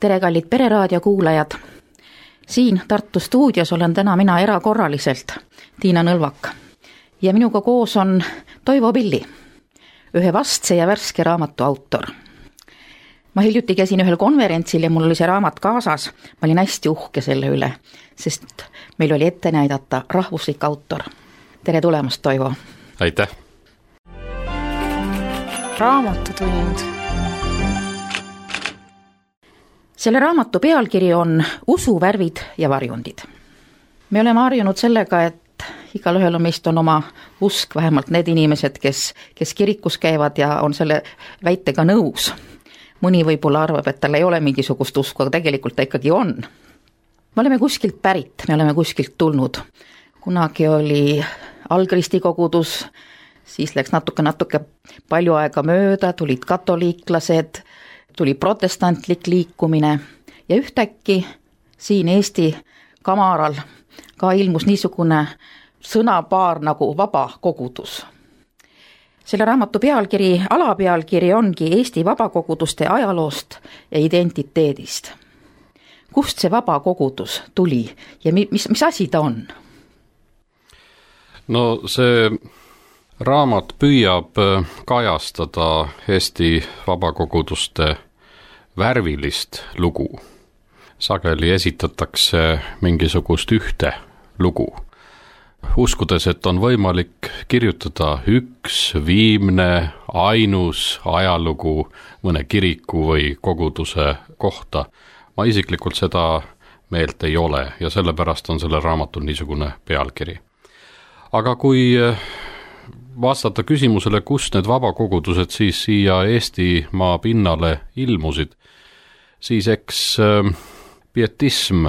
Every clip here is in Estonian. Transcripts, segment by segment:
Tere kallid Pereraadio kuulajad! Siin Tartu stuudios olen täna mina erakorraliselt Tiina Nõlvak ja minuga koos on Toivo Pilli, ühe vastse ja värske raamatu autor. Ma hiljuti käisin ühel konverentsil ja mul oli see raamat kaasas. Ma olin hästi uhke selle üle, sest meil oli ette näidata rahvuslik autor. Tere tulemast, Toivo! Aitäh! Raamatutund. Selle raamatu pealkiri on Usu värvid ja varjundid. Me oleme harjunud sellega, et igalühel meist on oma usk, vähemalt need inimesed, kes kirikus käivad ja on selle väitega nõus. Mõni võib-olla arvab, et tal ei ole mingisugust usku, aga tegelikult ta ikkagi on. Me oleme kuskilt pärit, me oleme kuskilt tulnud. Kunagi oli Algristi kogudus, siis läks natuke palju aega mööda, tulid katoliiklased, tuli protestantlik liikumine ja ühtäkki siin Eesti kamaral ka ilmus niisugune sõnapaar nagu vaba kogudus. Selle raamatu alapealkiri ongi Eesti vabakoguduste ajaloost ja identiteedist. Kust see vaba kogudus tuli ja mis asi ta on? No see raamat püüab kajastada Eesti vabakoguduste värvilist lugu. Sageli esitatakse mingisugust ühte lugu, uskudes, et on võimalik kirjutada üks viimne, ainus ajalugu mõne kiriku või koguduse kohta. Ma isiklikult seda meelt ei ole ja sellepärast on selle raamatul niisugune pealkiri. Aga kui vastata küsimusele, kust need vabakogudused siis siia Eestimaa pinnale ilmusid, siis eks pietism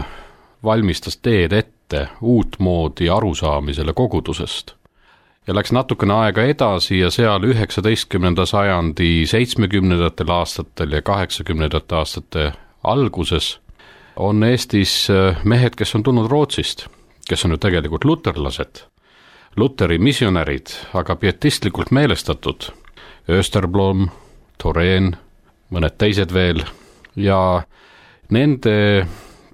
valmistas teed ette uutmoodi arusaamisele kogudusest. Ja läks natukene aega edasi ja seal 19. sajandi 70. aastatel ja 80. aastate alguses on Eestis mehed, kes on tulnud Rootsist, kes on ju tegelikult luterlased, Luteri missionärid, aga pietistlikult meelestatud, Österblom, Thorén, mõned teised veel, ja nende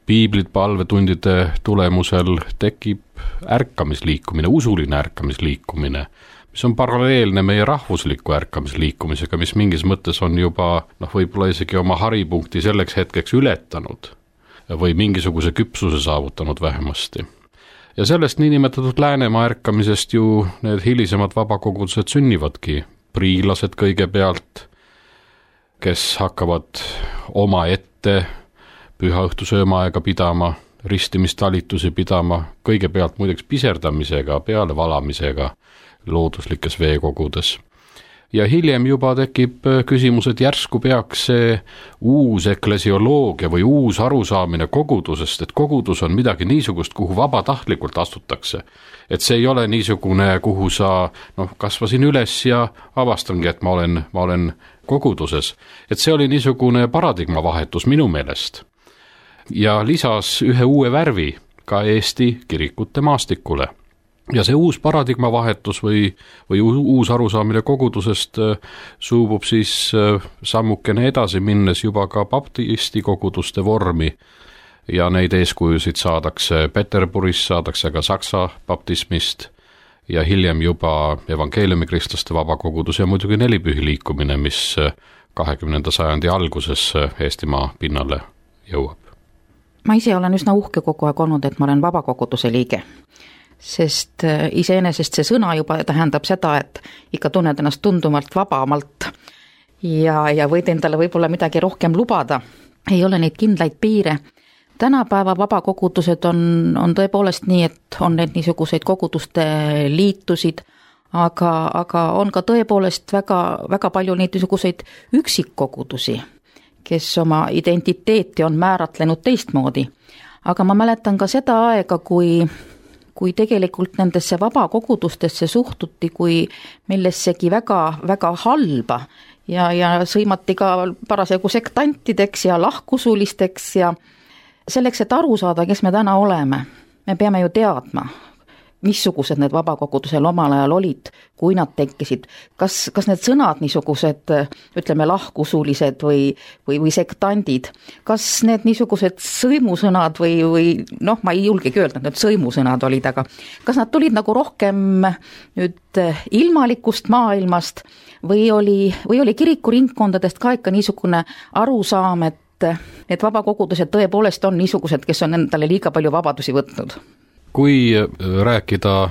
piiblid palvetundide tulemusel tekib ärkamisliikumine, usuline ärkamisliikumine, mis on paralleelne meie rahvusliku ärkamisliikumisega, mis mingis mõttes on juba võib-olla isegi oma haripunkti selleks hetkeks ületanud või mingisuguse küpsuse saavutanud vähemasti. Ja sellest niinimetatud Läänemaa ärkamisest ju need hilisemad vabakogudused sünnivadki. Priilased kõigepealt, kes hakkavad oma ette pühaõhtusöömaaega pidama, ristimistalitusi pidama, kõigepealt muideks piserdamisega, pealevalamisega looduslikes veekogudes. Ja hiljem juba tekib küsimus, et järsku peaks see uus eklesioloogia või uus arusaamine kogudusest, et kogudus on midagi niisugust, kuhu vabatahtlikult astutakse. Et see ei ole niisugune, kuhu sa kasvasin üles ja avastangi, et ma olen koguduses. Et see oli niisugune paradigma vahetus minu meelest. Ja lisas ühe uue värvi ka Eesti kirikute maastikule. Ja see uus paradigma vahetus või uus arusaamine kogudusest suubub siis sammukene edasi minnes juba ka baptisti koguduste vormi ja neid eeskujusid saadakse Peterburis, saadakse ka Saksa baptismist ja hiljem juba evangeeliumikristlaste vabakogudus ja muidugi nelipühi liikumine, mis 20. sajandi alguses Eestimaa pinnale jõuab. Ma ise olen üsna uhke kogu aeg olnud, et ma olen vabakoguduse liige. Sest iseenesest see sõna juba tähendab seda, et ikka tunned ennast tundumalt vabamalt ja võid endale võib-olla midagi rohkem lubada. Ei ole neid kindlaid piire. Tänapäeva vabakogudused on tõepoolest nii, et on need niisuguseid koguduste liitusid, aga on ka tõepoolest väga palju neid niisuguseid üksikkogudusi, kes oma identiteeti on määratlenud teistmoodi. Aga ma mäletan ka seda aega, kui tegelikult nendesse vabakogudustesse suhtuti kui millessegi väga halba ja sõimati ka parasjagu sektantideks ja lahkusulisteks ja selleks, et aru saada, kes me täna oleme, me peame ju teadma, missugused need vabakogudusel omal ajal olid, kui nad tekkisid, kas need sõnad niisugused, ütleme, lahkusulised või sektandid, kas need niisugused sõimusõnad või noh, ma ei julgegi öelda, et need sõimusõnad olid, aga kas nad tulid nagu rohkem nüüd ilmalikust maailmast või oli kirikuringkondadest ka ikka niisugune arusaam, et need vabakogudused tõepoolest on niisugused, kes on endale liiga palju vabadusi võtnud? Kui rääkida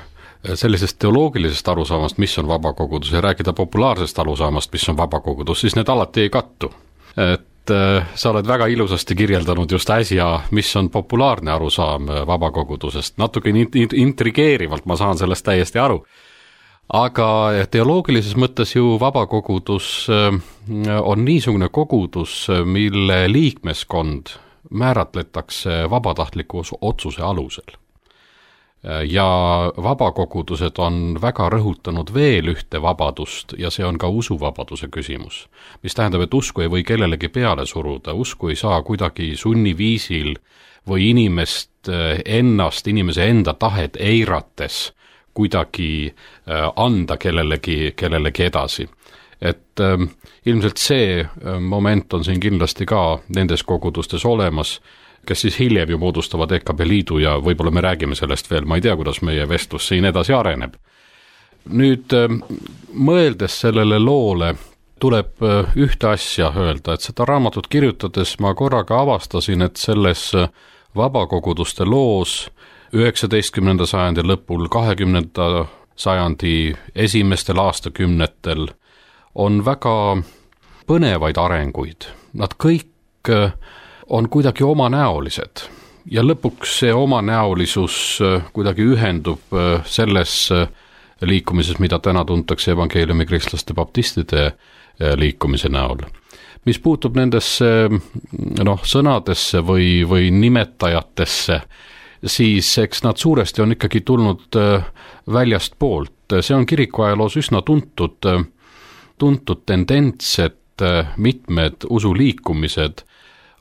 sellisest teoloogilisest arusaamast, mis on vabakogudus, ja rääkida populaarsest arusaamast, mis on vabakogudus, siis need alati ei kattu. Et sa oled väga ilusasti kirjeldanud just äsja, mis on populaarne arusaam vabakogudusest. Natuke intrigeerivalt ma saan sellest täiesti aru. Aga teoloogilises mõttes ju vabakogudus on niisugune kogudus, mille liikmeskond määratletakse vabatahtliku otsuse alusel. Ja vabakogudused on väga rõhutanud veel ühte vabadust ja see on ka usuvabaduse küsimus. Mis tähendab, et usku ei või kellelegi peale suruda, usku ei saa kuidagi sunniviisil või inimese enda tahet eirates kuidagi anda kellelegi edasi. Et ilmselt see moment on siin kindlasti ka nendes kogudustes olemas, kes siis hiljem ju moodustavad EKB liidu ja võib-olla me räägime sellest veel, ma ei tea, kuidas meie vestlus siin edasi areneb. Nüüd mõeldes sellele loole tuleb ühte asja öelda, et seda raamatut kirjutades ma korraga avastasin, et selles vabakoguduste loos 19. sajandi lõpul, 20. sajandi esimestel aastakümnetel on väga põnevaid arenguid. Nad kõik on kuidagi omanäolised ja lõpuks see omanäolisus kuidagi ühendub selles liikumises, mida täna tuntakse evangeeliumi kristlaste baptistide liikumise näol. Mis puutub nendesse sõnadesse või nimetajatesse, siis eks nad suuresti on ikkagi tulnud väljast poolt. See on kirikuajaloos üsna tuntud tendents, et mitmed usuliikumised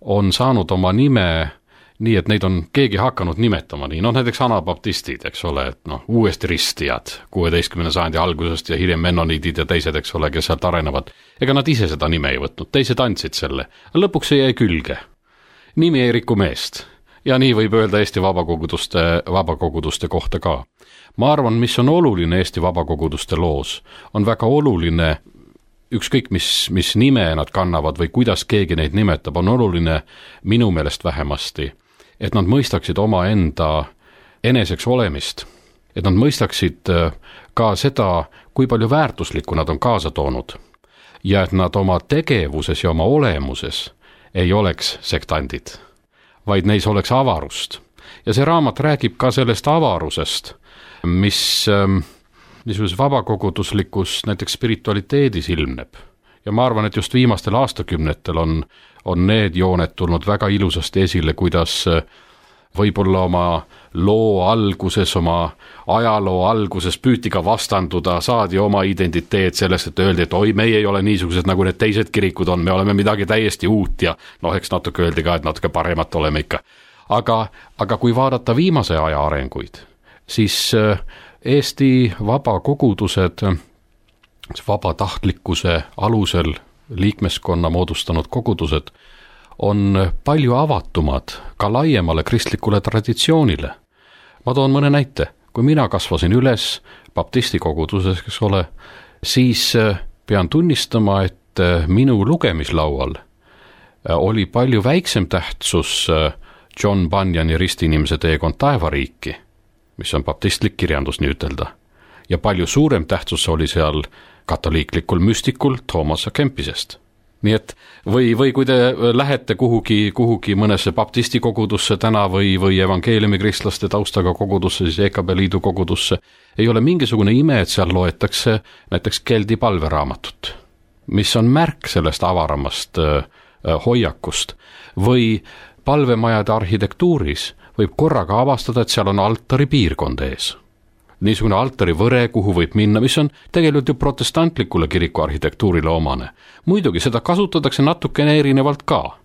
on saanud oma nime nii, et neid on keegi hakanud nimetama nii. Näiteks anabaptistid, eks ole, et uuesti ristijad 16. sajandi algusest ja hiljem mennoniidid ja teised, eks ole, kes sealt arenevad. Ega nad ise seda nime ei võtnud, teised andsid selle. Lõpuks see jäi külge. Nimi ei riku meest. Ja nii võib öelda Eesti vabakoguduste kohta ka. Ma arvan, mis on oluline Eesti vabakoguduste loos, on väga oluline, ükskõik mis nime nad kannavad või kuidas keegi neid nimetab, on oluline minu meelest vähemasti, et nad mõistaksid oma enda eneseks olemist, et nad mõistaksid ka seda, kui palju väärtuslikku nad on kaasa toonud ja et nad oma tegevuses ja oma olemuses ei oleks sektandid, vaid neis oleks avarust. Ja see raamat räägib ka sellest avarusest, mis niisuguses vabakoguduslikus näiteks spiritualiteedis ilmneb. Ja ma arvan, et just viimastel aastakümnetel on need jooned tulnud väga ilusasti esile, kuidas võib-olla oma loo alguses, oma ajaloo alguses püüti ka vastanduda, saadi oma identiteet sellest, et öeldi, et oi, meie ei ole niisugused nagu need teised kirikud on, me oleme midagi täiesti uut ja eks natuke öeldi ka, et natuke paremat oleme ikka. Aga kui vaadata viimase aja arenguid, siis Eesti vabakogudused vabatahtlikkuse alusel liikmeskonna moodustanud kogudused on palju avatumad ka laiemale kristlikule traditsioonile. Ma toon mõne näite. Kui mina kasvasin üles baptisti koguduses, eks ole, siis pean tunnistama, et minu lugemislaual oli palju väiksem tähtsus John Bunyani Ristiinimese teekond taevariiki, mis on baptistlik kirjandus nii ütelda. Ja palju suurem tähtsus oli seal katoliiklikul müstikul Thomas A. Kempisest. Nii et või kui te lähete kuhugi mõnesse baptisti kogudusse täna või evangeeliumi kristlaste taustaga kogudusse, siis EKB liidu kogudusse, ei ole mingisugune ime, et seal loetakse näiteks Keldi palveraamatut, mis on märk sellest avaramast hoiakust. Või palvemajade arhitektuuris võib korraga avastada, et seal on altari piirkond ees. Niisugune altari võre, kuhu võib minna, mis on tegelikult ju protestantlikule kiriku arhitektuurile omane. Muidugi seda kasutatakse natukene erinevalt ka.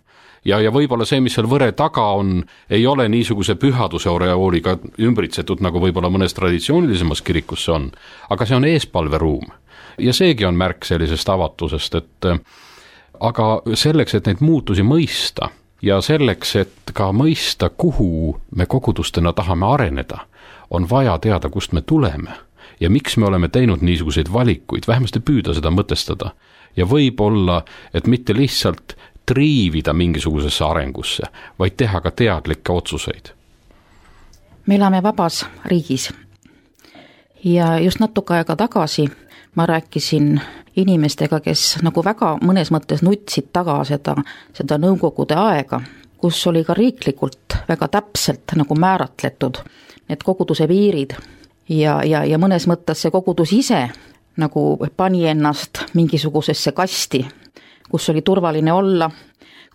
ja võib-olla see, mis seal võre taga on, ei ole niisuguse pühaduse oreooliga ümbritsetud, nagu võib-olla mõnes traditsioonilisemas kirikus see on, aga see on eespalveruum. Ja seegi on märk sellisest avatusest, et aga selleks, et neid muutusi mõista ja selleks, et ka mõista, kuhu me kogudustena tahame areneda, on vaja teada, kust me tuleme ja miks me oleme teinud niisuguseid valikuid, vähemasti püüda seda mõtestada. Ja võib-olla, et mitte lihtsalt triivida mingisugusesse arengusse, vaid teha ka teadlikke otsuseid. Me elame vabas riigis ja just natuke aega tagasi ma rääkisin inimestega, kes nagu väga mõnes mõttes nutsid taga seda nõukogude aega, kus oli ka riiklikult väga täpselt nagu määratletud need koguduse piirid ja mõnes mõttes see kogudus ise nagu pani ennast mingisugusesse kasti, kus oli turvaline olla,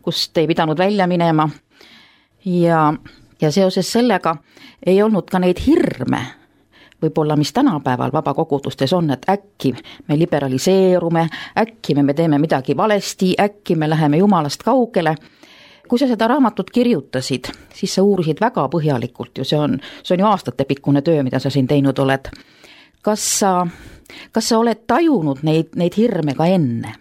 kust ei pidanud välja minema ja seoses sellega ei olnud ka neid hirme, võib-olla mis tänapäeval vabakogudustes on, et äkki me liberaliseerume, äkki me teeme midagi valesti, äkki me läheme Jumalast kaugele. Kui sa seda raamatut kirjutasid, siis sa uurisid väga põhjalikult ju, see on ju aastatepikkune töö, mida sa siin teinud oled. Kas sa oled tajunud neid hirme ka enne?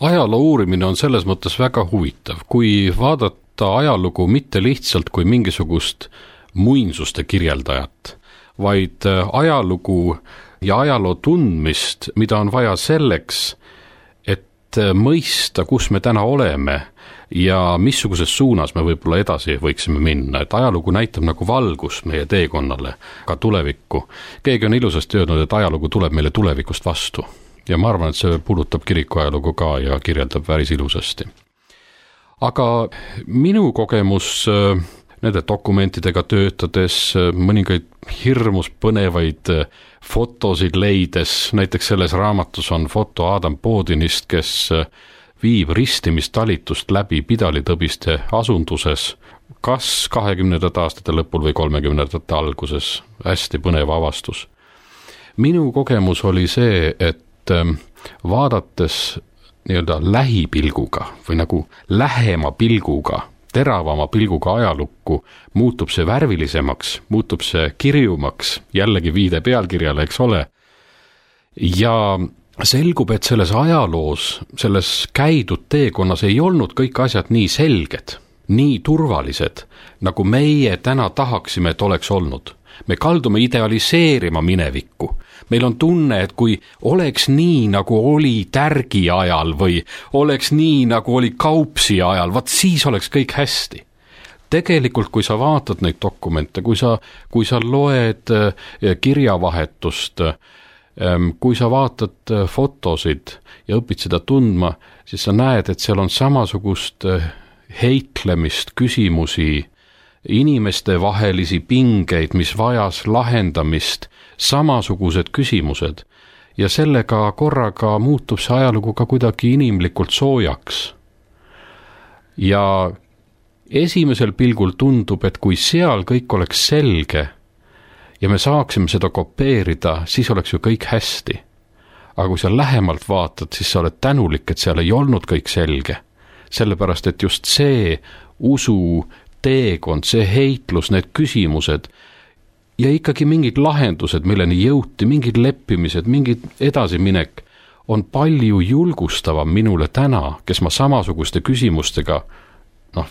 Ajaloo uurimine on selles mõttes väga huvitav, kui vaadata ajalugu mitte lihtsalt kui mingisugust muinsuste kirjeldajat, vaid ajalugu ja ajaloo tundmist, mida on vaja selleks, et mõista, kus me täna oleme ja missuguses suunas me võib-olla edasi võiksime minna, et ajalugu näitab nagu valgus meie teekonnale ka tulevikku. Keegi on ilusasti öelnud, et ajalugu tuleb meile tulevikust vastu ja ma arvan, et see puudutab kiriku ajalugu ka ja kirjeldab päris ilusasti. Aga minu kogemus nende dokumentidega töötades, mõningaid hirmus põnevaid fotosid leides, näiteks selles raamatus on foto Adam Bodinist, kes viib ristimistalitust läbi Pidalitõbiste asunduses, kas 20. aastate lõpul või 30. alguses, hästi põnev avastus. Minu kogemus oli see, et vaadates nii-öelda lähipilguga või nagu lähema pilguga, teravama pilguga ajalukku, muutub see värvilisemaks, muutub see kirjumaks, jällegi viide pealkirjale, eks ole, ja selgub, et selles ajaloos, selles käidud teekonnas ei olnud kõik asjad nii selged, nii turvalised, nagu meie täna tahaksime, et oleks olnud. Me kaldume idealiseerima minevikku. Meil on tunne, et kui oleks nii, nagu oli Tärgi ajal või oleks nii, nagu oli Kaupsi ajal, vaat siis oleks kõik hästi. Tegelikult, kui sa vaatad neid dokumente, kui sa loed kirjavahetust, kui sa vaatad fotosid ja õpid seda tundma, siis sa näed, et seal on samasugust heitlemist, küsimusi, inimeste vahelisi pingeid, mis vajas lahendamist, samasugused küsimused ja sellega korraga muutub see ajalugu ka kuidagi inimlikult soojaks. Ja esimesel pilgul tundub, et kui seal kõik oleks selge ja me saaksime seda kopeerida, siis oleks ju kõik hästi. Aga kui sa lähemalt vaatad, siis sa oled tänulik, et seal ei olnud kõik selge. Sellepärast, et just see usu teekond, see heitlus, need küsimused ja ikkagi mingid lahendused, milleni jõuti, mingid leppimised, mingid edasiminek on palju julgustavam minule täna, kes ma samasuguste küsimustega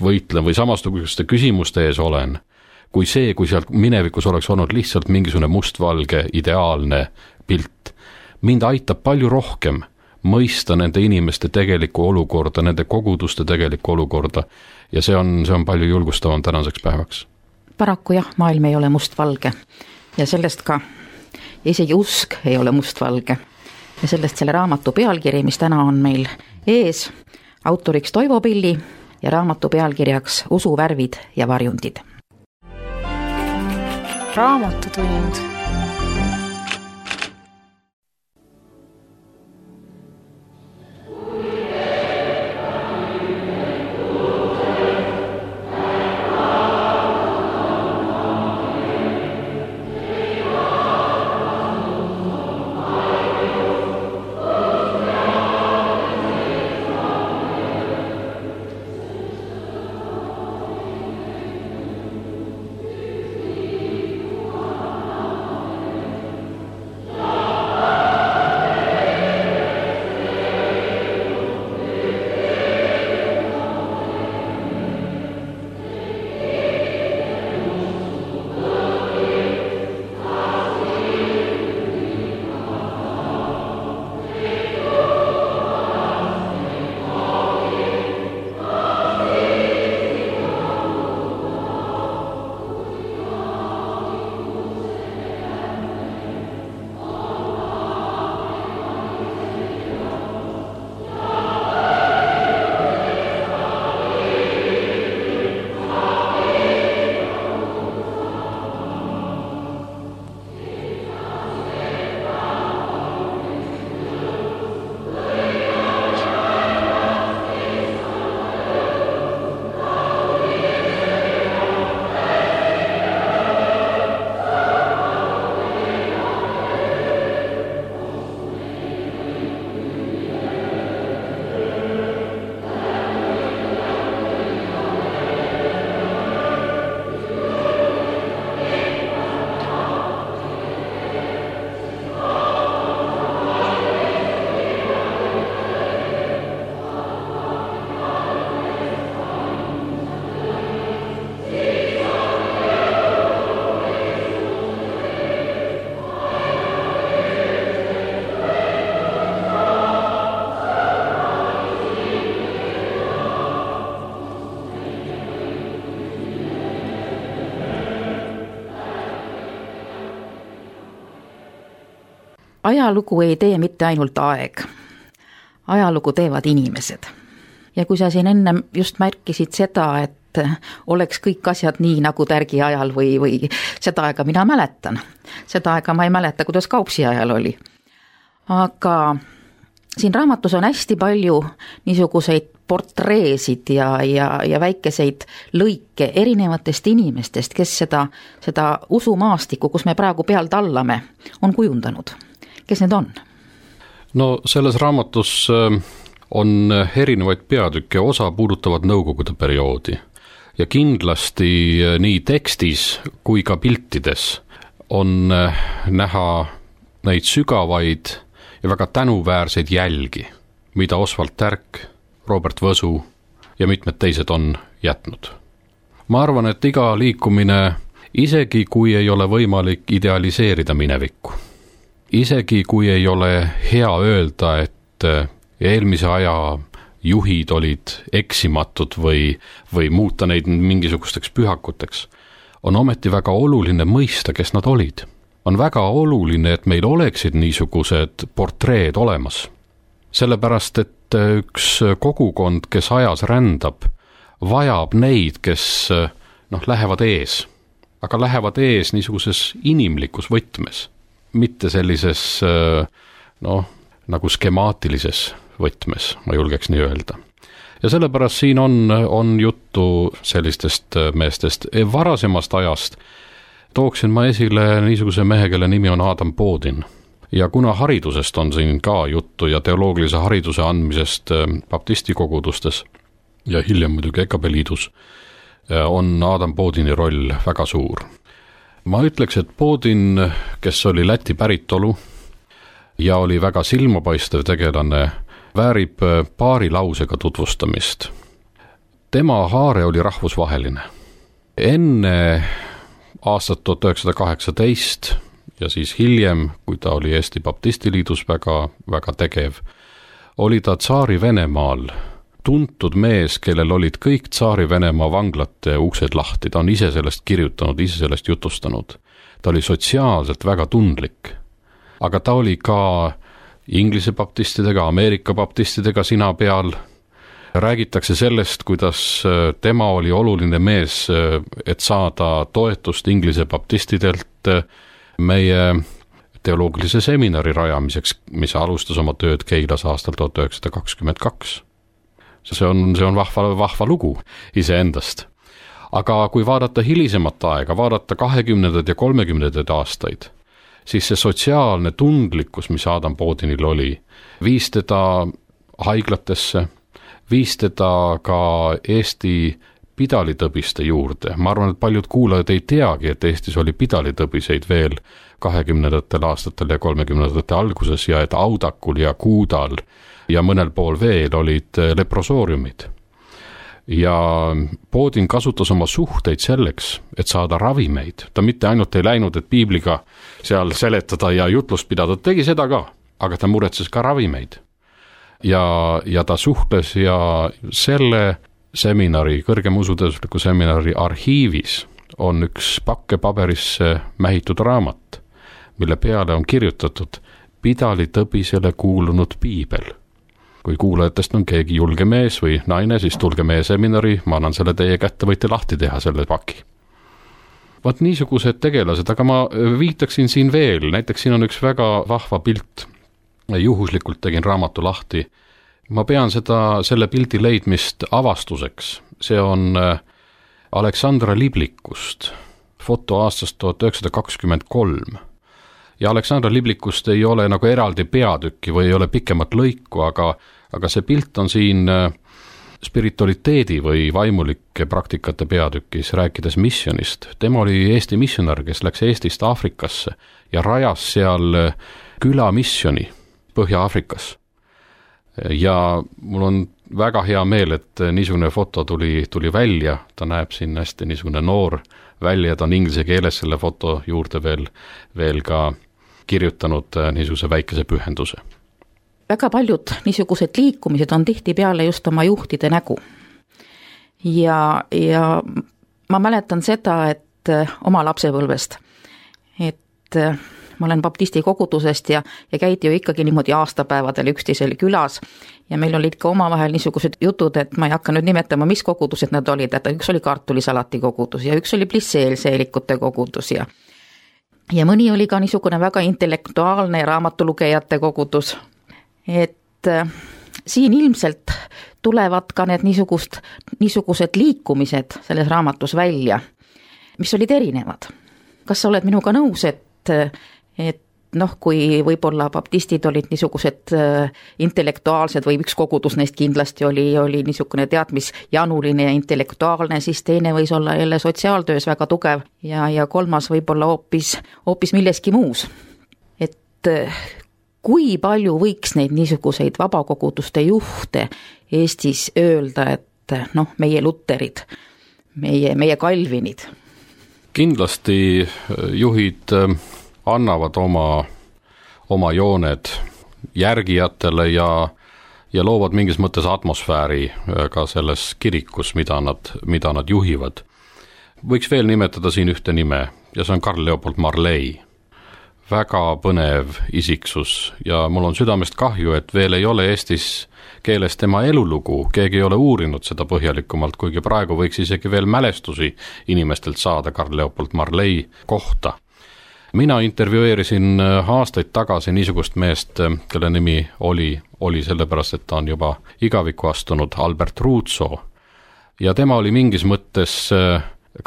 võitlen või samasuguste küsimuste ees olen, kui see, kui seal minevikus oleks olnud lihtsalt mingisugune mustvalge ideaalne pilt. Mind aitab palju rohkem mõista nende inimeste tegelikku olukorda, nende koguduste tegelikku olukorda ja see on palju julgustavam tänaseks päevaks. Paraku jah, maailm ei ole mustvalge ja sellest ka isegi usk ei ole mustvalge ja sellest selle raamatu pealkiri, mis täna on meil ees, autoriks Toivo Pilli ja raamatu pealkirjaks Usuvärvid ja varjundid. Raamatutund. ajalugu ei tee mitte ainult aeg, ajalugu teevad inimesed. Ja kui sa siin ennem just märkisid seda, et oleks kõik asjad nii nagu Tärgi ajal või seda aega mina mäletan. Seda aega ma ei mäleta, kuidas Kaupsi ajal oli. Aga siin raamatus on hästi palju niisuguseid portreesid ja väikeseid lõike erinevatest inimestest, kes seda usumaastikku, kus me praegu peal tallame, on kujundanud. Kes need on? No selles raamatus on erinevaid peatükke, osa puudutavad nõukogude perioodi. Ja kindlasti nii tekstis kui ka piltides on näha neid sügavaid ja väga tänuväärseid jälgi, mida Oswald Tärk, Robert Võsu ja mitmed teised on jätnud. Ma arvan, et iga liikumine, isegi kui ei ole võimalik idealiseerida minevikku, isegi kui ei ole hea öelda, et eelmise aja juhid olid eksimatud või muuta neid mingisugusteks pühakuteks, on ometi väga oluline mõista, kes nad olid. On väga oluline, et meil oleksid niisugused portreed olemas. Sellepärast, et üks kogukond, kes ajas rändab, vajab neid, kes lähevad ees. Aga lähevad ees niisuguses inimlikus võtmes, mitte sellises nagu skemaatilises võtmes, ma julgeks nii öelda. Ja sellepärast siin on juttu sellistest meestest. Varasemast ajast tooksin ma esile niisuguse mehe, kelle nimi on Adam Bodin. Ja kuna haridusest on siin ka juttu ja teoloogilise hariduse andmisest baptistikogudustes ja hiljem muidugi EKB liidus, on Adam Bodini roll väga suur. Ma ütleks, et Bodin, kes oli Läti päritolu ja oli väga silmapaistev tegelane, väärib paari lausega tutvustamist. Tema haare oli rahvusvaheline. Enne aastat 1918 ja siis hiljem, kui ta oli Eesti Baptistiliidus väga, väga tegev, oli ta Tsaari Venemaal tuntud mees, kellel olid kõik Tsaari Venemaa vanglate uksed lahti. Ta on ise sellest kirjutanud, ise sellest jutustanud. Ta oli sotsiaalselt väga tundlik, aga ta oli ka Inglise baptistidega, Ameerika baptistidega sina peal. Räägitakse sellest, kuidas tema oli oluline mees, et saada toetust Inglise baptistidelt meie teoloogilise seminari rajamiseks, mis alustas oma tööd Keilas aastal 1922. See on vahva lugu iseendast. Aga kui vaadata hilisemat aega, vaadata 20. ja 30. aastaid, siis see sotsiaalne tundlikkus, mis Adam Bodinil oli, viis teda haiglatesse, viis teda ka Eesti pidalitõbiste juurde. Ma arvan, et paljud kuulajad ei teagi, et Eestis oli pidalitõbiseid veel 20. aastatel ja 30. alguses ja et Audakul ja Kuudal ja mõnel pool veel olid leprosooriumid. Ja Bodin kasutas oma suhteid selleks, et saada ravimeid. Ta mitte ainult ei läinud, et piibliga seal seletada ja jutlust pidada, tegi seda ka, aga ta muretses ka ravimeid. Ja ta suhtles ja selle seminari, kõrgem usuteadusliku seminari arhiivis on üks pakke paberisse mähitud raamat, mille peale on kirjutatud pidalitõbisele kuulunud piibel. Kui kuulajatest on keegi julge mees või naine, siis tulge meie seminari, ma annan selle teie kätte, võite lahti teha selle paki. Vaat niisugused tegelased, aga ma viitaksin siin veel, näiteks siin on üks väga vahva pilt, juhuslikult tegin raamatu lahti. Ma pean selle pildi leidmist avastuseks. See on Aleksandra Liblikust, foto aastast 1923. Ja Aleksandra Liblikust ei ole nagu eraldi peatükki või ei ole pikemat lõiku, aga see pilt on siin spiritualiteedi või vaimulike praktikate peatükis, rääkides missionist. Tema oli Eesti missionar, kes läks Eestist Aafrikasse ja rajas seal külamissioni Põhja-Aafrikas. Ja mul on väga hea meel, et niisugune foto tuli välja, ta näeb siin hästi niisugune noor välja, ta on inglise keeles selle foto juurde veel ka kirjutanud niisuguse väikese pühenduse. Väga paljud niisugused liikumised on tihtipeale just oma juhtide nägu. Ja ma mäletan seda, et oma lapsepõlvest, et ma olen baptisti kogudusest ja käidi ju ikkagi niimoodi aastapäevadel üksteisel külas ja meil olid ka omavahel niisugused jutud, et ma ei hakka nüüd nimetama, mis kogudused nad olid, et üks oli kartulisalati kogudus ja üks oli plisseelseelikute kogudus ja mõni oli ka niisugune väga intellektuaalne raamatulugejate kogudus. Et siin ilmselt tulevad ka need niisugused liikumised selles raamatus välja, mis olid erinevad. Kas sa oled minuga nõus, et kui võib-olla baptistid olid niisugused intellektuaalsed või üks kogudus neist kindlasti oli niisugune teadmisjanuline ja intellektuaalne, siis teine võis olla jälle sotsiaaltöös väga tugev ja kolmas võib-olla hoopis milleski muus. Et kui palju võiks neid niisuguseid vabakoguduste juhte Eestis öelda, et meie luterid, meie Kalvinid? Kindlasti juhid annavad oma jooned järgijatele ja loovad mingis mõttes atmosfääri ka selles kirikus, mida nad juhivad. Võiks veel nimetada siin ühte nime ja see on Carl Leopold Marley. Väga põnev isiksus ja mul on südamest kahju, et veel ei ole Eestis keeles tema elulugu, keegi ei ole uurinud seda põhjalikumalt, kuigi praegu võiks isegi veel mälestusi inimestelt saada Carl Leopold Marley kohta. Mina intervjueerisin aastaid tagasi niisugust meest, kelle nimi oli sellepärast, et ta on juba igavikku astunud, Albert Ruutso. Ja tema oli mingis mõttes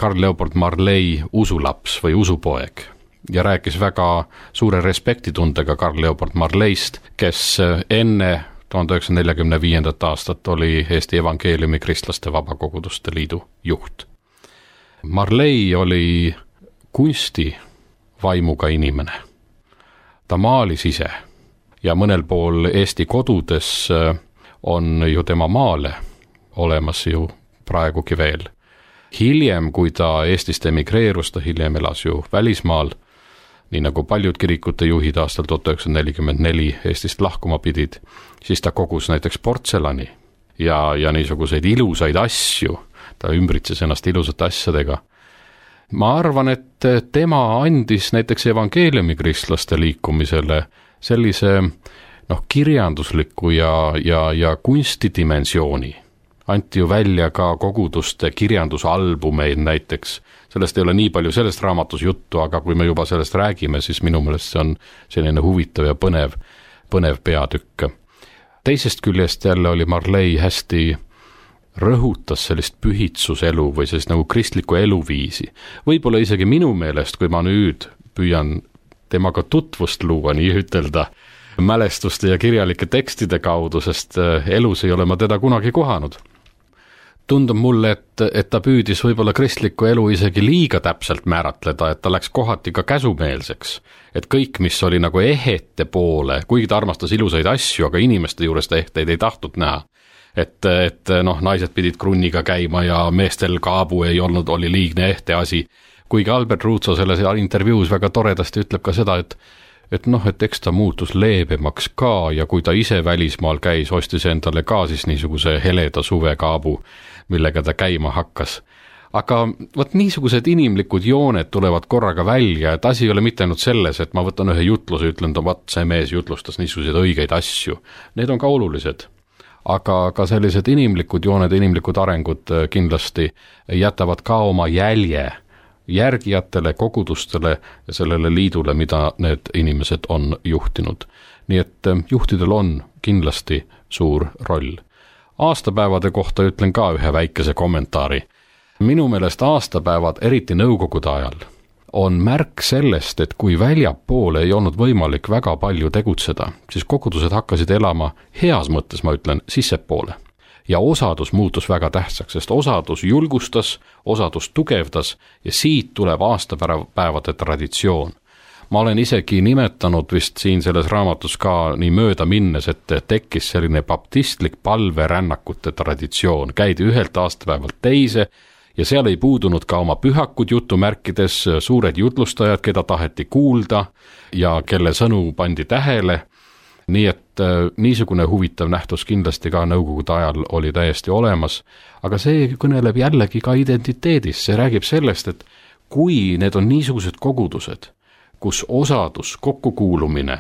Carl Leopold Marley usulaps või usupoeg ja rääkis väga suure respektitundega Carl Leopold Marleyst, kes enne 1945. aastat oli Eesti Evangeeliumi Kristlaste Vabakoguduste Liidu juht. Marley oli kunsti vaimuga inimene. Ta maalis ise ja mõnel pool Eesti kodudes on ju tema maale olemas ju praegugi veel. Hiljem, kui ta Eestist emigreerus, ta hiljem elas ju välismaal, nii nagu paljud kirikute juhid aastal 1944 Eestist lahkuma pidid, siis ta kogus näiteks portselani ja niisuguseid ilusaid asju, ta ümbritses ennast ilusate asjadega. Ma arvan, et tema andis näiteks evangeeliumi kristlaste liikumisele sellise kirjandusliku ja kunstidimensiooni. Anti ju välja ka koguduste kirjandusalbumeid näiteks. Sellest ei ole nii palju sellest raamatus juttu, aga kui me juba sellest räägime, siis minu meelest see on selline huvitav ja põnev peatükk. Teisest küljest jälle oli Marley hästi rõhutas sellist pühitsuselu või sellist nagu kristlikku eluviisi. Võib-olla isegi minu meelest, kui ma nüüd püüan temaga tutvust luua, nii ütelda, mälestuste ja kirjalike tekstide kaudu, sest elus ei ole ma teda kunagi kohanud. Tundub mulle, et ta püüdis võib-olla kristlikku elu isegi liiga täpselt määratleda, et ta läks kohati ka käsumeelseks. Et kõik, mis oli nagu ehete poole, kuigi ta armastas ilusaid asju, aga inimeste juures ta ehteid ei tahtnud näha. Et naised pidid krunniga käima ja meestel kaabu ei olnud, oli liigne ehte asi. Kuigi Albert Ruutso selles intervjuus väga toredasti ütleb ka seda, et eks ta muutus leebemaks ka ja kui ta ise välismaal käis, ostis endale ka siis niisuguse heleda suvekaabu, millega ta käima hakkas. Aga niisugused inimlikud jooned tulevad korraga välja, et asi ei ole mitte ainult selles, et ma võtan ühe jutluse, ütlen, see mees jutlustas niisuguseid õigeid asju. Need on ka olulised. Aga ka sellised inimlikud jooned, inimlikud arengud kindlasti jätavad ka oma jälje järgijatele, kogudustele ja sellele liidule, mida need inimesed on juhtinud. Nii et juhtidel on kindlasti suur roll. Aastapäevade kohta ütlen ka ühe väikese kommentaari. Minu meelest aastapäevad, eriti nõukogude ajal, on märk sellest, et kui väljapoole ei olnud võimalik väga palju tegutseda, siis kogudused hakkasid elama heas mõttes, ma ütlen, sissepoole. Ja osadus muutus väga tähtsaks, sest osadus julgustas, osadus tugevdas ja siit tuleb aastapäevade traditsioon. Ma olen isegi nimetanud vist siin selles raamatus ka nii mööda minnes, et tekkis selline baptistlik palverännakute traditsioon. Käidi ühelt aastapäevalt teise ja seal ei puudunud ka oma pühakud jutumärkides, suured jutlustajad, keda taheti kuulda ja kelle sõnu pandi tähele. Nii et niisugune huvitav nähtus kindlasti ka nõukogude ajal oli täiesti olemas, aga see kõneleb jällegi ka identiteedist. See räägib sellest, et kui need on niisugused kogudused, kus osadus, kokkukuulumine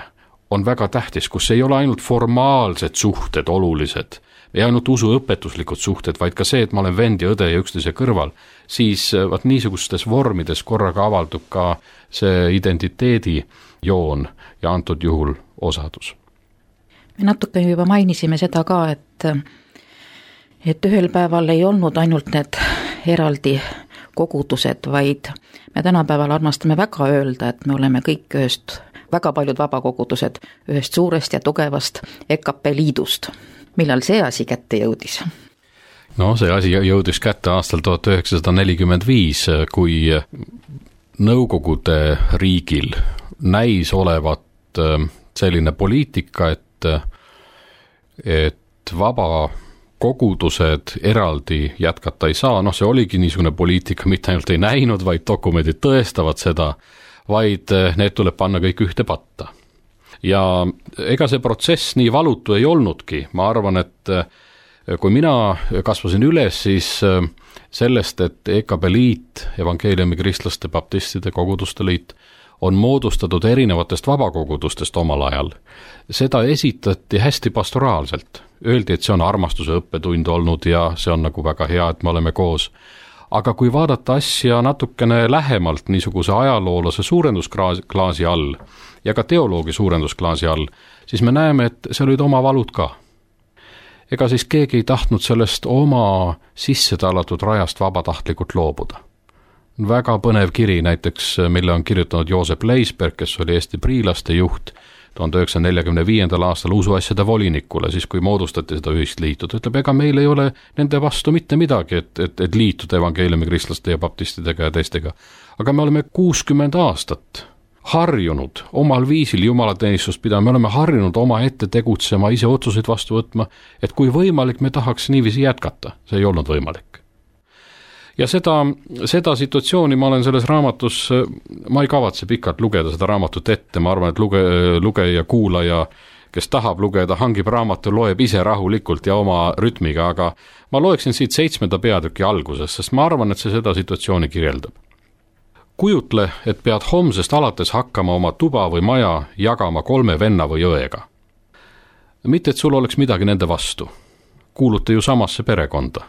on väga tähtis, kus ei ole ainult formaalsed suhted olulised, ei ainult usuõpetuslikud suhted, vaid ka see, et ma olen vend ja õde ja üksteise kõrval, siis vaat niisugustes vormides korraga avaldub ka see identiteedi joon ja antud juhul osadus. Me natuke juba mainisime seda ka, et ühel päeval ei olnud ainult need eraldi kogudused, vaid me tänapäeval armastame väga öelda, et me oleme kõik väga paljud vabakogudused ühest suurest ja tugevast EKP liidust. Millal see asi kätte jõudis? No see asi jõudis kätte aastal 1945, kui Nõukogude riigil näis olevat selline poliitika, et vabakogudused eraldi jätkata ei saa, see oligi niisugune poliitika, mitte ainult ei näinud, vaid dokumendid tõestavad seda, vaid need tuleb panna kõik ühte patta. Ja ega see protsess nii valutu ei olnudki, ma arvan, et kui mina kasvasin üles, siis sellest, et EKP liit, evangeeliumi kristlaste, baptistide, koguduste liit, on moodustatud erinevatest vabakogudustest omal ajal. Seda esitati hästi pastoraalselt. Öeldi, et see on armastuse õppetund olnud ja see on nagu väga hea, et me oleme koos. Aga kui vaadata asja natukene lähemalt niisuguse ajaloolase suurendusklaasi all ja ka teoloogi suurendusklaasi all, siis me näeme, et seal olid oma valud ka. Ega siis keegi ei tahtnud sellest oma sisse tallatud rajast vabatahtlikult loobuda. Väga põnev kiri näiteks, mille on kirjutanud Joosep Leisberg, kes oli Eesti priilaste juht 1945. aastal usuasjade volinikule, siis kui moodustati seda ühist liitu. Ta ütleb, ega meil ei ole nende vastu mitte midagi, et liituda evangeeliumi kristlaste ja baptistidega ja teistega. Aga me oleme 60 aastat harjunud omal viisil jumalateenistust pidama, me oleme harjunud oma ette tegutsema, ise otsuseid vastu võtma, et kui võimalik, me tahaks niiviisi jätkata. See ei olnud võimalik. Ja seda situatsiooni ma olen selles raamatus, ma ei kavatse pikalt lugeda seda raamatut ette, ma arvan, et lugeja, kuulaja, kes tahab lugeda, hangib raamatu, loeb ise rahulikult ja oma rütmiga, aga ma loeksin siit 7. peatüki alguses, sest ma arvan, et see seda situatsiooni kirjeldab. Kujutle, et pead homsest alates hakkama oma tuba või maja jagama 3 venna või õega. Mitte, et sul oleks midagi nende vastu. Kuulute ju samasse perekonda.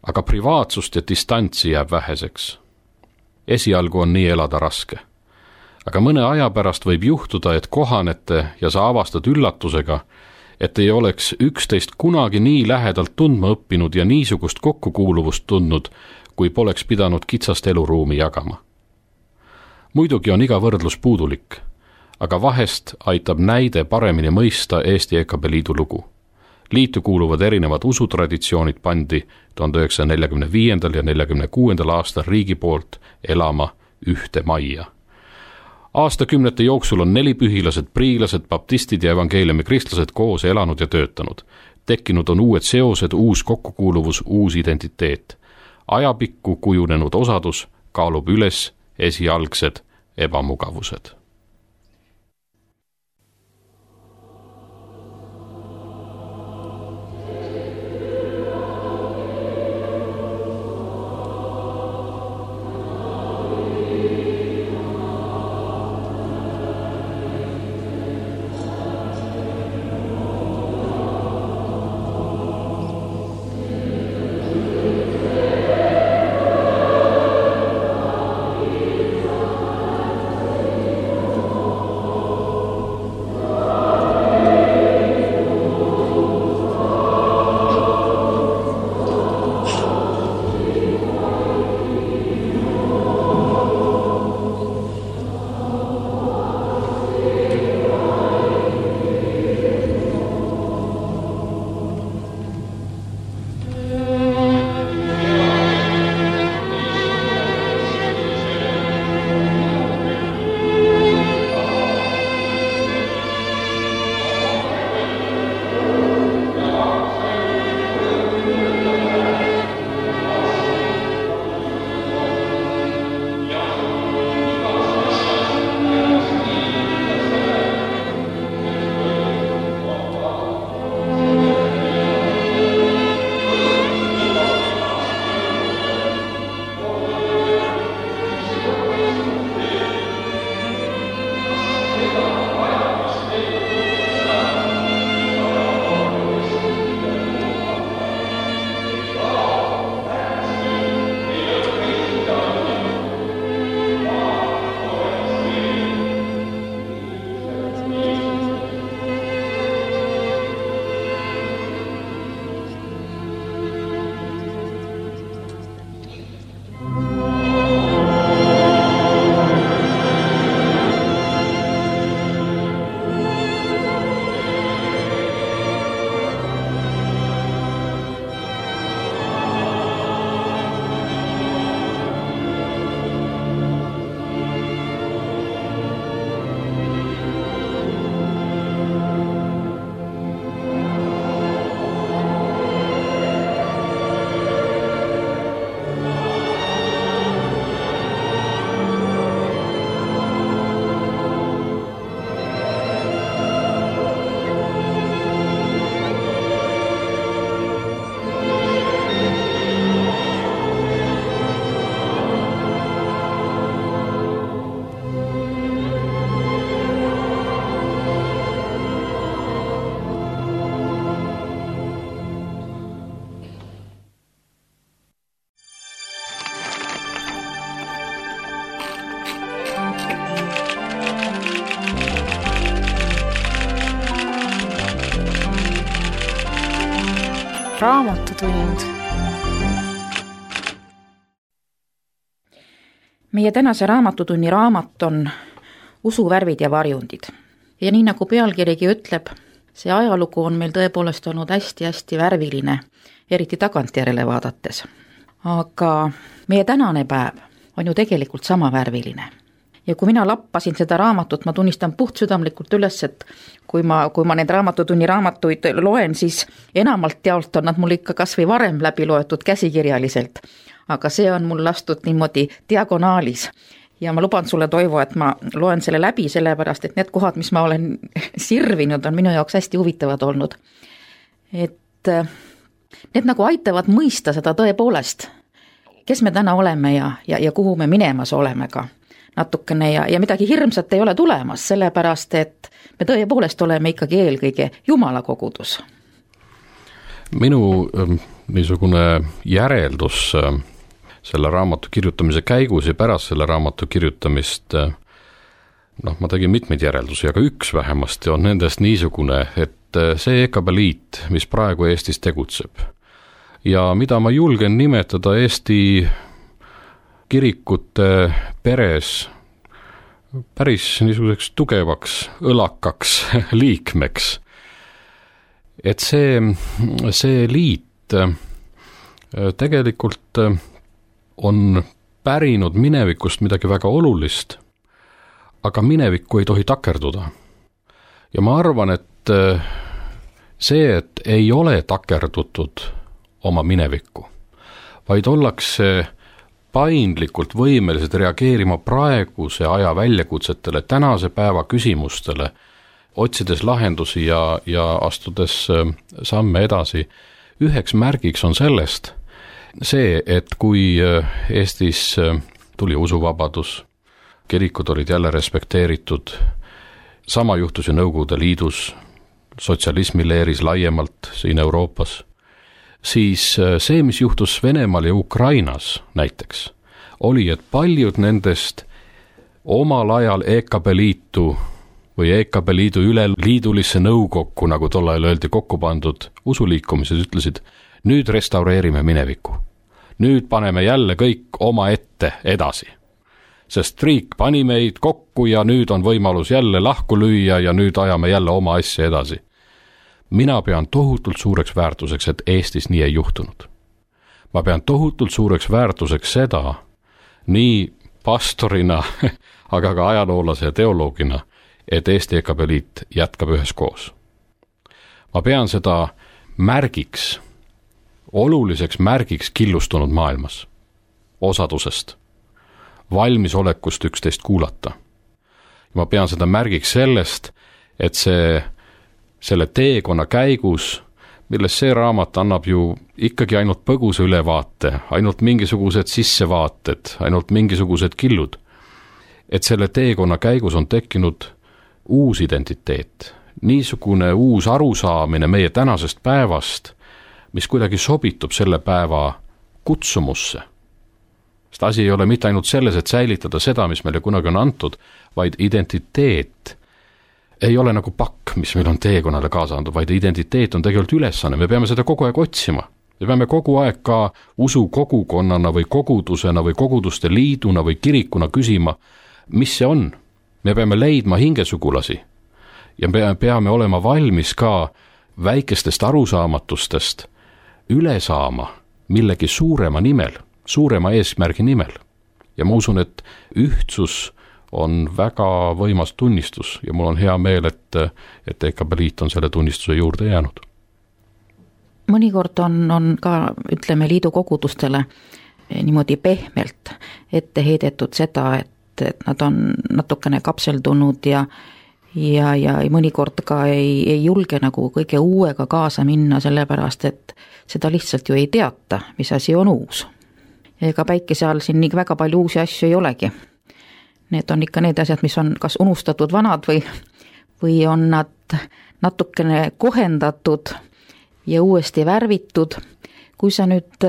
Aga privaatsust ja distantsi jääb väheseks. Esialgu on nii elada raske. Aga mõne aja pärast võib juhtuda, et kohanete ja sa avastad üllatusega, et ei oleks üksteist kunagi nii lähedalt tundma õppinud ja niisugust kokkukuuluvust tundnud, kui poleks pidanud kitsast eluruumi jagama. Muidugi on iga võrdlus puudulik, aga vahest aitab näide paremini mõista Eesti EKP liidu lugu. Liitu kuuluvad erinevad usutraditsioonid pandi 1945. ja 1946. aastal riigi poolt elama ühte majja. Aastakümnete jooksul on 4 pühilased, priilased, baptistid ja evangeeliumi kristlased koos elanud ja töötanud. Tekkinud on uued seosed, uus kokkukuuluvus, uus identiteet. Ajapikku kujunenud osadus kaalub üles esialgsed ebamugavused. Raamatutund. Meie tänase raamatutunni raamat on Usuvärvid ja varjundid. Ja nii nagu pealkirigi ütleb, see ajalugu on meil tõepoolest olnud hästi-hästi värviline, eriti tagantjärele vaadates. Aga meie tänane päev on ju tegelikult sama värviline. Ja kui mina lappasin seda raamatut, ma tunnistan puhtsüdamlikult üles, et kui ma need raamatutunni raamatuid loen, siis enamalt jaolt on nad mul ikka kas või varem läbi loetud käsikirjaliselt. Aga see on mul lastud niimoodi diagonaalis. Ja ma luban sulle, Toivo, et ma loen selle läbi, sellepärast, et need kohad, mis ma olen sirvinud, on minu jaoks hästi huvitavad olnud. Et need nagu aitavad mõista seda tõepoolest, kes me täna oleme ja kuhu me minemas oleme ka natukene ja midagi hirmsat ei ole tulemas, sellepärast, et me tõepoolest oleme ikkagi eelkõige Jumala kogudus. Minu niisugune järeldus selle raamatu kirjutamise käigus ja pärast selle raamatu kirjutamist, ma tegin mitmeid järeldusi, aga üks vähemasti on nendest niisugune, et see EKB-liit, mis praegu Eestis tegutseb ja mida ma julgen nimetada Eesti kirikute peres päris niisuguseks tugevaks, õlakaks liikmeks. Et see liit tegelikult on pärinud minevikust midagi väga olulist, aga minevikku ei tohi takerduda. Ja ma arvan, et see, et ei ole takerdutud oma minevikku, vaid ollakse paindlikult võimelised reageerima praeguse aja väljakutsetele, tänase päeva küsimustele, otsides lahendusi ja astudes samme edasi. Üheks märgiks on sellest see, et kui Eestis tuli usuvabadus, kirikud olid jälle respekteeritud, sama juhtus ju Nõukogude Liidus, sotsialismi leeris laiemalt siin Euroopas, siis see, mis juhtus Venemaal ja Ukrainas näiteks, oli, et paljud nendest omal ajal EKB-liitu või EKB-liidu üleliidulisse nõukokku, nagu tol ajal öeldi, kokku pandud usuliikumised ütlesid, nüüd restaureerime minevikku. Nüüd paneme jälle kõik oma ette edasi. Sest riik pani meid kokku ja nüüd on võimalus jälle lahku lüüa ja nüüd ajame jälle oma asja edasi. Mina pean tohutult suureks väärtuseks, et Eestis nii ei juhtunud. Ma pean tohutult suureks väärtuseks seda, nii pastorina, aga ka ajaloolase ja teoloogina, et Eesti EKB-liit jätkab üheskoos. Ma pean seda märgiks, oluliseks märgiks killustunud maailmas, osadusest, valmisolekust üksteist kuulata. Ma pean seda märgiks sellest, et selle teekonna käigus, milles see raamat annab ju ikkagi ainult põgusa ülevaate, ainult mingisugused sissevaated, ainult mingisugused killud, et selle teekonna käigus on tekkinud uus identiteet, niisugune uus arusaamine meie tänasest päevast, mis kuidagi sobitub selle päeva kutsumusse. Sest asi ei ole mitte ainult selles, et säilitada seda, mis meile kunagi on antud, vaid identiteet ei ole nagu pakk, mis meil on teekonnale kaasa antud, vaid identiteet on tegelikult ülesanne. Me peame seda kogu aeg otsima. Me peame kogu aeg ka usu kogukonnana või kogudusena või koguduste liiduna või kirikuna küsima, mis see on. Me peame leidma hingesugulasi ja me peame olema valmis ka väikestest arusaamatustest üle saama millegi suurema nimel, suurema eesmärgi nimel. Ja ma usun, et ühtsus on väga võimas tunnistus ja mul on hea meel, et EKB-liit on selle tunnistuse juurde jäänud. Mõnikord on ka, ütleme, liidu kogudustele niimoodi pehmelt ette heidetud seda, et nad on natukene kapseldunud ja mõnikord ka ei julge nagu kõige uuega kaasa minna, sellepärast, et seda lihtsalt ju ei teata, mis asi on uus. Ja ega päikese all siin nii väga palju uusi asju ei olegi. Need on ikka need asjad, mis on kas unustatud vanad või on nad natukene kohendatud ja uuesti värvitud. Kui sa nüüd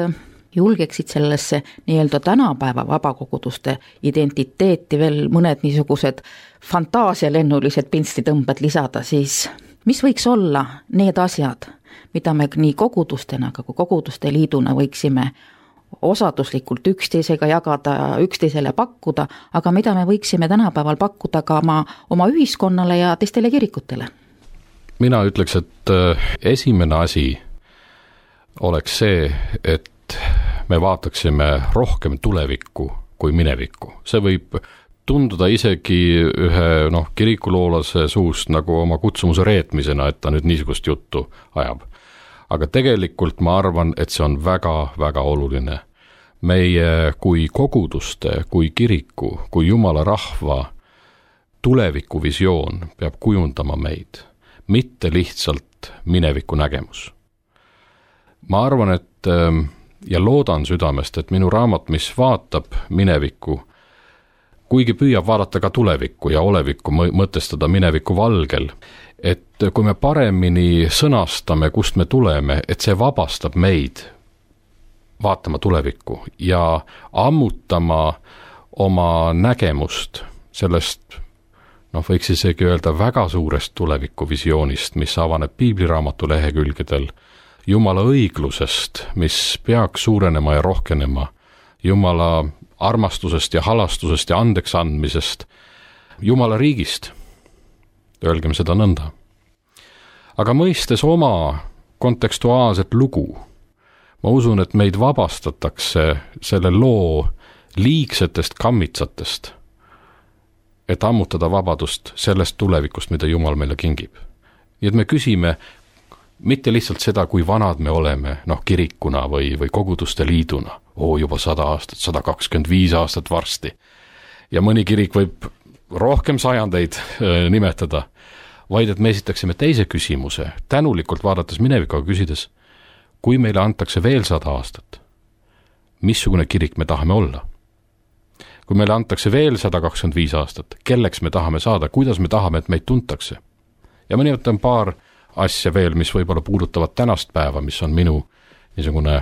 julgeksid sellesse nii-öelda tänapäeva vabakoguduste identiteeti veel mõned niisugused fantaasialennulised pinstitõmbed lisada, siis mis võiks olla need asjad, mida me nii kogudustena kui koguduste liiduna võiksime osaduslikult üksteisega jagada, üksteisele pakkuda, aga mida me võiksime tänapäeval pakkuda ka oma ühiskonnale ja teistele kirikutele? Mina ütleks, et esimene asi oleks see, et me vaataksime rohkem tulevikku kui minevikku. See võib tunduda isegi ühe kirikuloolase suust nagu oma kutsumuse reetmisena, et ta nüüd niisugust juttu ajab. Aga tegelikult ma arvan, et see on väga-väga oluline. Meie kui koguduste, kui kiriku, kui Jumala rahva tulevikuvisioon peab kujundama meid, mitte lihtsalt mineviku nägemus. Ma arvan, et ja loodan südamest, et minu raamat, mis vaatab minevikku, kuigi püüab vaadata ka tulevikku ja olevikku mõtestada mineviku valgel, et kui me paremini sõnastame, kust me tuleme, et see vabastab meid vaatama tulevikku ja ammutama oma nägemust sellest, võiks isegi öelda väga suurest tulevikuvisioonist, mis avaneb piibliraamatu lehekülgedel, Jumala õiglusest, mis peaks suurenema ja rohkenema, Jumala armastusest ja halastusest ja andeks andmisest, Jumala riigist, öelgem seda nõnda. Aga mõistes oma kontekstuaalset lugu, ma usun, et meid vabastatakse selle loo liigsetest kammitsatest, et ammutada vabadust sellest tulevikust, mida Jumal meile kingib. Nii et me küsime mitte lihtsalt seda, kui vanad me oleme, kirikuna või koguduste liiduna, juba 100 aastat, 125 aastat varsti. Ja mõni kirik võib rohkem sajandeid nimetada, vaid et me esitaksime teise küsimuse, tänulikult vaadates minevikuga küsides, kui meile antakse veel 100 aastat, missugune kirik me tahame olla? Kui meile antakse veel 125 aastat, kelleks me tahame saada, kuidas me tahame, et meid tuntakse? Ja ma nimetan paar asja veel, mis võib-olla puudutavad tänast päeva, mis on minu niisugune,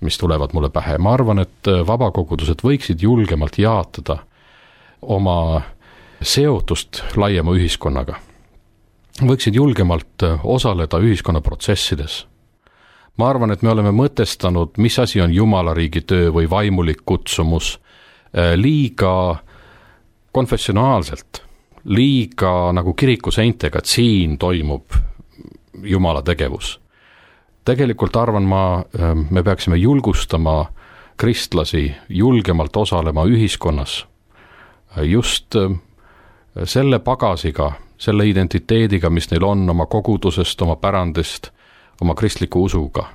mis tulevad mulle pähe. Ma arvan, et vabakogudused võiksid julgemalt jaatada oma seotust laiema ühiskonnaga. Võiksid julgemalt osaleda ühiskonnaprotsessides. Ma arvan, et me oleme mõtestanud, mis asi on Jumala riigi töö või vaimulik kutsumus liiga konfessionaalselt, liiga nagu kirikuseintega, et siin toimub Jumala tegevus. Tegelikult arvan ma, me peaksime julgustama kristlasi julgemalt osalema ühiskonnas just selle pagasiga, selle identiteediga, mis neil on oma kogudusest, oma pärandist, oma kristliku usuga.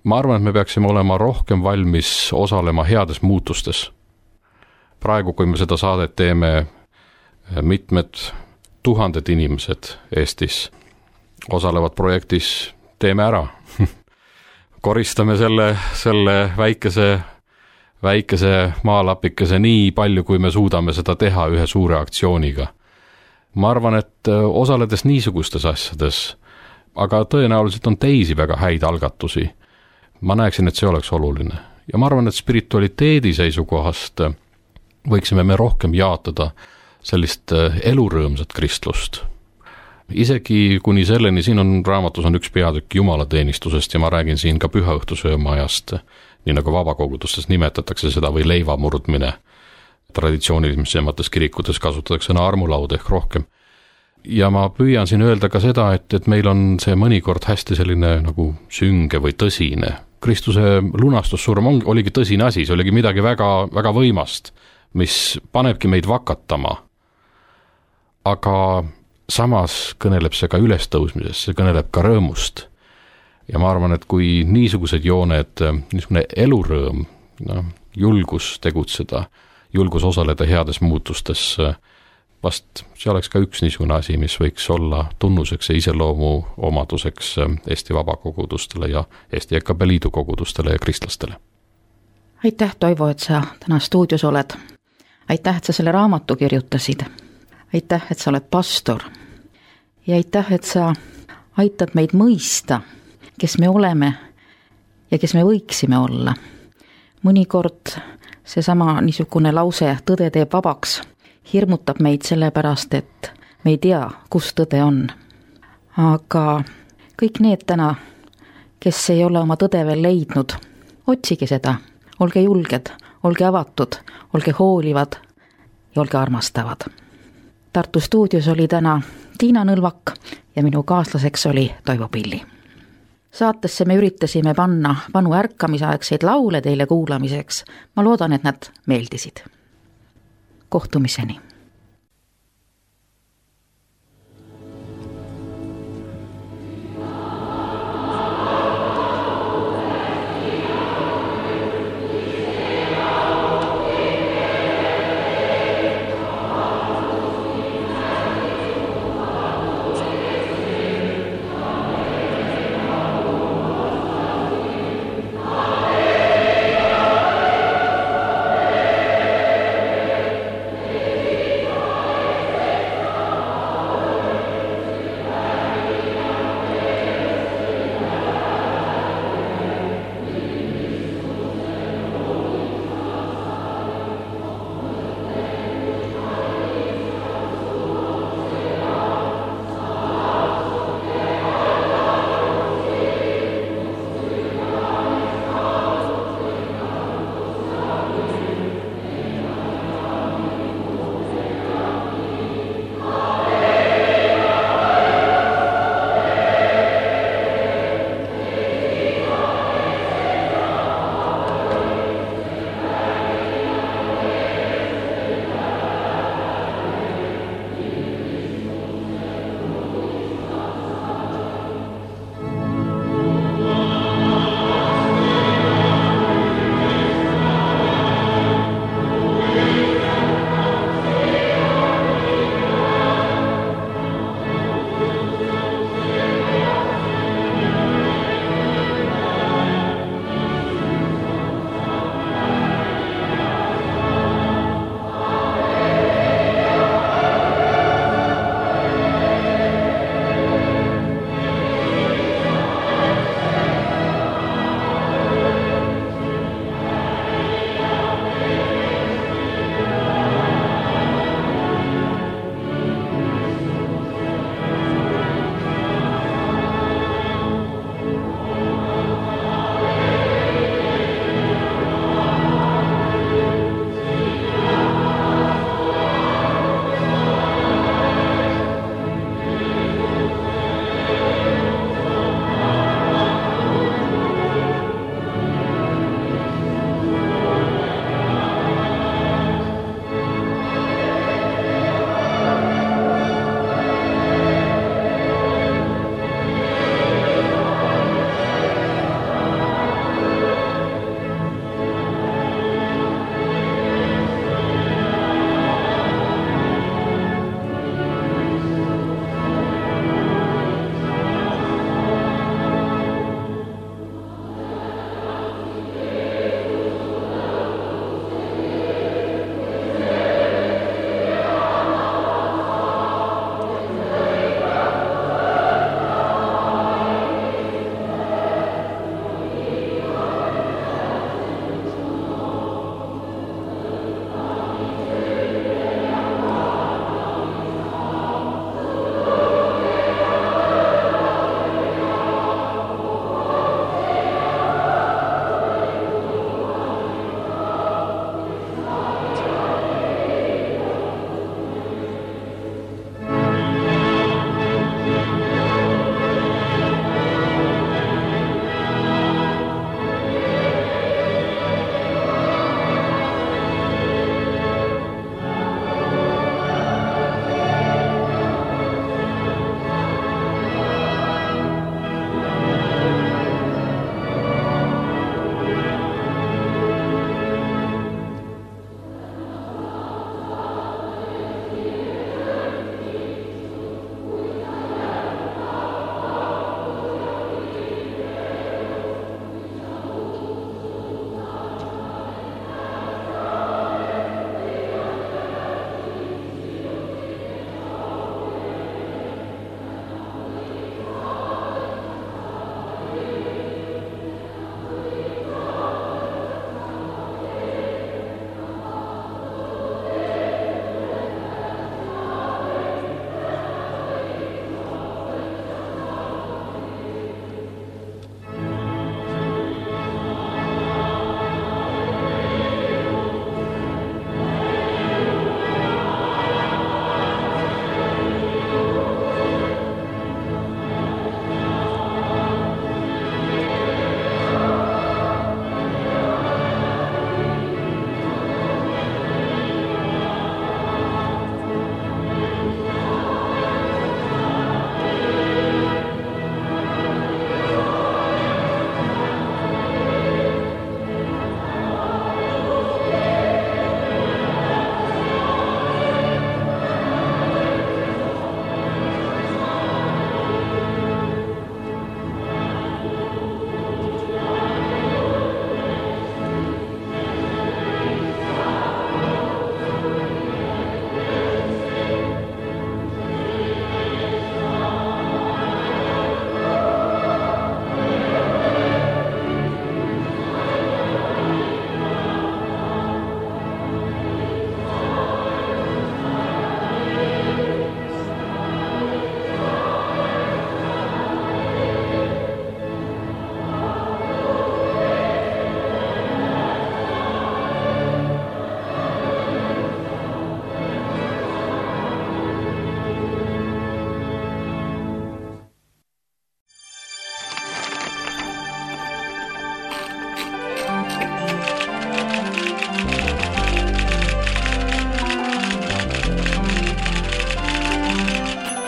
Ma arvan, et me peaksime olema rohkem valmis osalema heades muutustes. Praegu, kui me seda saadet teeme, mitmed tuhanded inimesed Eestis osalevad projektis Teeme ära. Koristame selle väikese maalapikese nii palju, kui me suudame seda teha ühe suure aktsiooniga. Ma arvan, et osaledes niisugustes asjades, aga tõenäoliselt on teisi väga häid algatusi, ma näeksin, et see oleks oluline. Ja ma arvan, et spiritualiteedi seisukohast võiksime me rohkem jaatada sellist elurõõmsat kristlust. Isegi kuni selleni, siin on raamatus on üks peatükk jumalateenistusest ja ma räägin siin ka pühaõhtusööma ajast, nii nagu vabakogudustes nimetatakse seda või leivamurdmine. Traditsioonilisemates kirikutes kasutatakse sõna armulaud ehk rohkem. Ja ma püüan siin öelda ka seda, et meil on see mõnikord hästi selline nagu sünge või tõsine. Kristuse lunastussurm oligi tõsine asi, see oligi midagi väga, väga võimast, mis panebki meid vakatama. Aga samas kõneleb see ka ülestõusmisest, see kõneleb ka rõõmust. Ja ma arvan, et kui niisugused jooned, niisugune elurõõm, julgus tegutseda, julgus osaleda heades muutustes, vast see oleks ka üks niisugune asi, mis võiks olla tunnuseks ja iseloomu omaduseks Eesti vabakogudustele ja Eesti EKP liidu kogudustele ja kristlastele. Aitäh, Toivo, et sa täna stuudios oled. Aitäh, et sa selle raamatu kirjutasid. Aitäh, et sa oled pastor. Ja aitäh, et sa aitad meid mõista, kes me oleme ja kes me võiksime olla. Mõnikord seesama niisugune lause tõde teeb vabaks hirmutab meid sellepärast, et me ei tea, kus tõde on. Aga kõik need täna, kes ei ole oma tõde veel leidnud, otsige seda, olge julged, olge avatud, olge hoolivad ja olge armastavad. Tartu stuudios oli täna Tiina Nõlvak ja minu kaaslaseks oli Toivo Pilli. Saatesse me üritasime panna vanu ärkamisaegseid laule teile kuulamiseks. Ma loodan, et nad meeldisid. Kohtumiseni!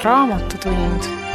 Raamatutund.